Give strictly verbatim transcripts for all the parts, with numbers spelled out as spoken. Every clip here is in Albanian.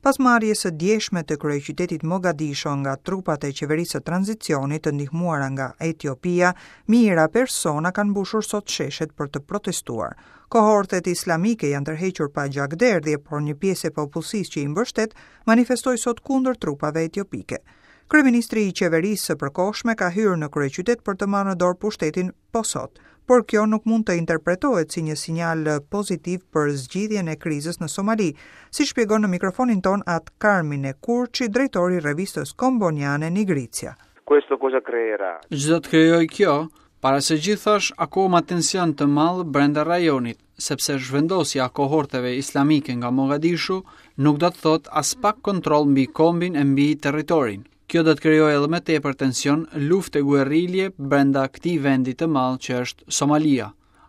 Pas marrjes së djeshme të kryeqytetit Mogadishu nga trupat e qeverisë së tranzicionit të ndihmuara nga Etiopia, mijëra persona kanë mbushur sot sheshet për të protestuar. Kohortet islamike janë tërhequr pa gjakderdhje, por një pjesë e popullsisë që i mbështet manifestoi sot kundër trupave etiopike. Kryeministri i qeverisë së përkohshme ka hyrë në kryeqytet për të marrë në dorë pushtetin po sot, por kjo nuk mund të interpretohet si një sinjal pozitiv për zgjidhjen e krizës në Somali, si shpjegon në mikrofonin ton atë Carmine Kurçi, drejtori i revistës komboniane Nigrizia. Questo cosa creerà? Ç'do të krijojë kjo? Para se gjithash, akoma tension të madh brenda rajonit, sepse zhvendosja e kohorteve islamike nga Mogadishu nuk do të thotë as pak kontroll mbi kombin e mbi territorin. Kjo do të krijojë edhe më tepër tension, luftë e guerrilje brenda këtij vendi të madh që është Somalia.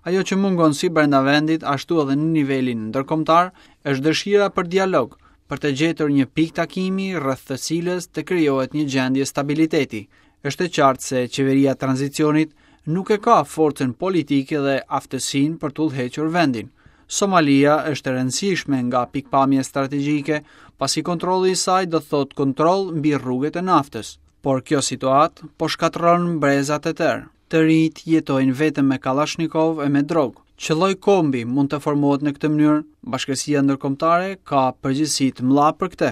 Ajo që mungon si brenda vendit, ashtu edhe në nivelin ndërkombëtar, është dëshira për dialog, për të gjetur një pikë takimi rreth të cilës të krijohet një gjendje stabiliteti. Është e qartë se qeveria e tranzicionit nuk e ka forcën politike dhe aftësinë për të udhëhequr vendin. Somalia është e rëndësishme nga pikpamja strategjike, pasi kontrolli i saj do të thotë kontroll mbi rrugët e naftës. Por kjo situatë po shkatërron brezat e tërë. Të rinjt jetojnë vetëm me kallashnikov e me drogë. Ç'lloj kombi mund të formohet në këtë mënyrë? Bashkësia ndërkombëtare ka përgjegjësi të mëdha për këtë.